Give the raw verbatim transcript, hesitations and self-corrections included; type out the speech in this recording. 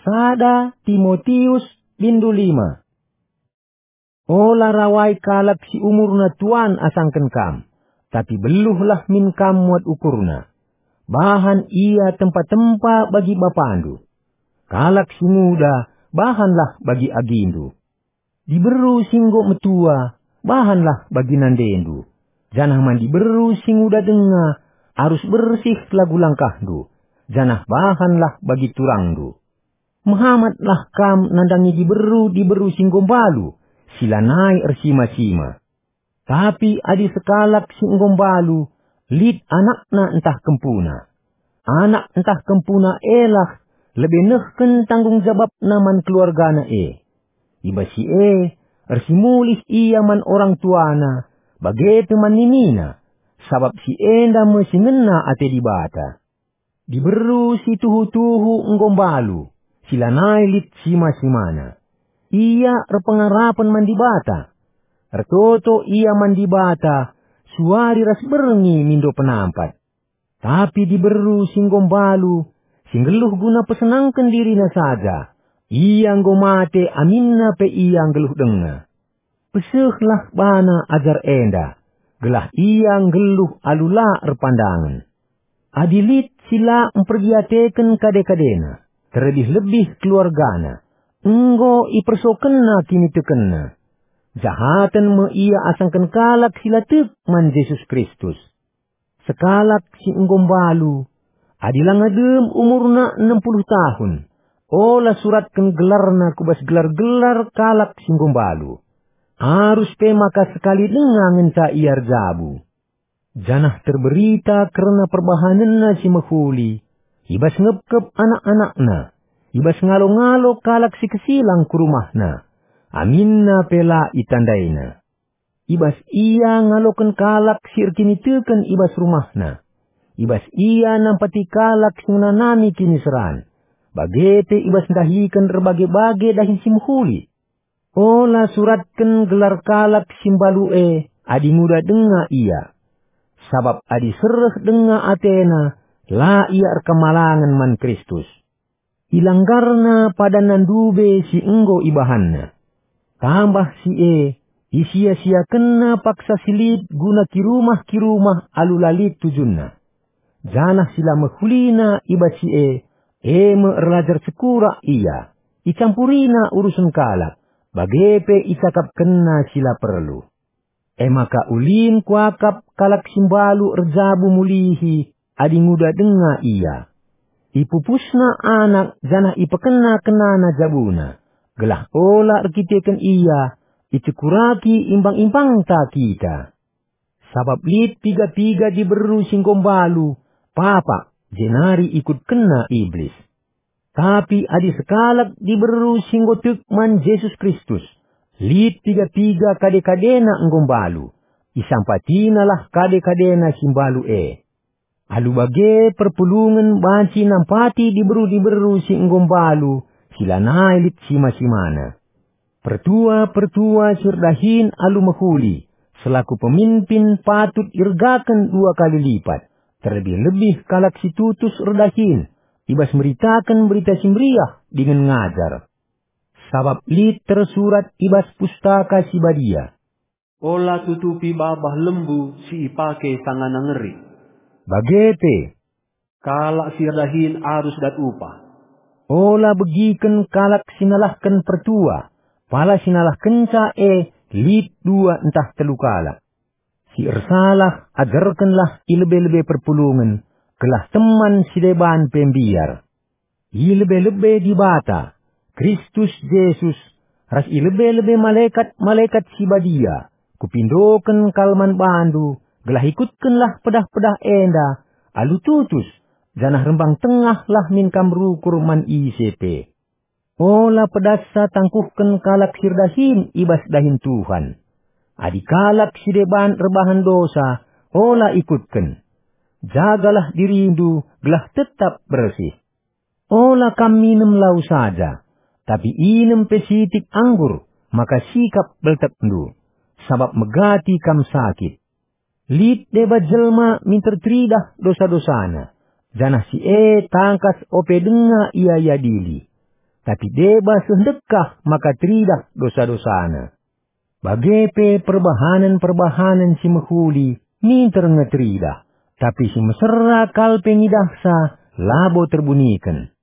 Sada Timotius bindu lima. Ola rawai kalak si umurna tuan asangken kam, tapi beluhlah min kam muat ukurna. Bahan ia tempa-tempa bagi bapandu. Kalak si nguda, bahanlah bagi agindu. Diberu si enggo metua, bahanlah bagi nandendu. Janah man diberu si nguda denga, arus bersih lagu langkahndu, janah bahanlah bagi turangndu. Mehamatlah kam nandangi diberu-diberu si enggo mbalu, si lanai ersima-sima. Tapi adi sekalak si enggo mbalu, lit anakna ntah kempuna. Anak ntah kempuna elah lebe nehken tanggung jabapna man keluargana e. I bas si e, ersimulih ia man orang tuana, bage pe man ninina, sabap si enda me si ngena ate Dibata. Diberu si tuhu-tuhu enggo mbalu, si lanai lit sima-simana. Ia erpengarapen man Dibata. Ertoto ia man Dibata, suari ras berngi mindo penampat. Tapi diberu si enggo mbalu, si nggeluh guna pesenangken dirina saja, ia enggo mate aminna pe ia nggeluh denga. Pesehlah bana ajar enda, gelah ia nggeluh alu la erpandangen. Adi lit si la mperdiateken kade-kadena, terlebih-lebih keluargana, enggo ipersokenna kinitekenna. Jahaten me ia asangken kalak si la tek man Jesus Kristus. Sekalak si enggo mbalu, adi langa dem umurna enem puluh tahun, ola suratken gelarna ku bas gelar-gelar kalak si enggo mbalu. Arus pe maka sekali denga ngenca ia erjabu. Janah terberita kerna perbahanenna si mehuli, i bas ngepkep anak-anakna, i bas ngalo-ngalo kalak si kesilang ku rumahna, aminna pe la itandaina. I bas ia ngaloken kalak si erkiniteken i bas rumahna. I bas ia nampati kalak si ngenanami kiniseran, bage pe i bas ndahiken erbage-bage dahin si mehuli. Ola suratken gelar kalak si mbalu e adi nguda denga ia. Sabap adi sereh denga atena, la ia erkemalangen man Kristus. Ilanggarna padanna ndube si enggo ibahanna. Tambah si e, isia-siakenna paksa si lit guna kirumah-kirumah alu la lit tujunna. Janah si la mehulina i bas si e, e me erlajar sekurak ia, icampurina urusen kalak, bage pe icakapkenna si la perlu. E maka ulin kuakap kalak si mbalu erjabu mulihi adi nguda denga ia. Ipupusna anak janah ipekenna-kennana jabuna, gelah ola erkiteken ia icekuraki imbang-imbangta kita. Sabap lit piga-piga diberu si enggo mbalu, papak, jenari ikutkenna Iblis. Tapi adi sekalak diberu si enggo tek man Jesus Kristus, lit piga-piga kade-kadena enggo mbalu, isampatinalah kade-kadena si mbalu e. Alu bage perpulungen banci nampati diberu-diberu si enggo mbalu, si lanai lit sima-simana. Pertua-pertua si erdahin alu mehuli, selaku pemimpin patut iergaken dua kali lipat, terlebih-lebih kalak si tutus erdahin, i bas meritaken Berita Si Meriah dingen ngajar. Sabap lit tersurat i bas Pustaka Si Badia, "Ola tutupi babah lembu si ipake sangana ngeri." Bage pe, "Kalak si erdahin arus dat upah." Ola begiken kalak si nalahken pertua, pala si nalahkenca e lit dua ntah telu kalak. Si ersalah ajarkenlah i lebe-lebe perpulungen, gelah teman si deban pe mbiar. I lebe-lebe Dibata, Kristus Jesus, ras i lebe-lebe malekat-malekat si badia, kupindoken kal man bandu, gelah ikutkenlah pedah-pedah enda alu tutus, janah rembang tengahlah min kam rukur man ise pe. Ola pedassa tangkuhken kalak si erdahin i bas dahin Tuhan. Adi kalak si deban erbahan dosa, ola ikutken. Jagalah dirindu gelah tetap bersih. Ola kam minem lau saja, tapi inem pe sitik anggur, maka sikap beltekndu, sabap megati kam sakit. Lit deba jelma minter teridah dosa-dosana, janah si e tangkas ope denga ia iadili. tapi deba seh ndekah maka teridah dosa-dosana. Bage pe perbahanen-perbahanen si mehuli minter nge teridah, tapi si mesera kal pe ngidahsa labo terbuniken.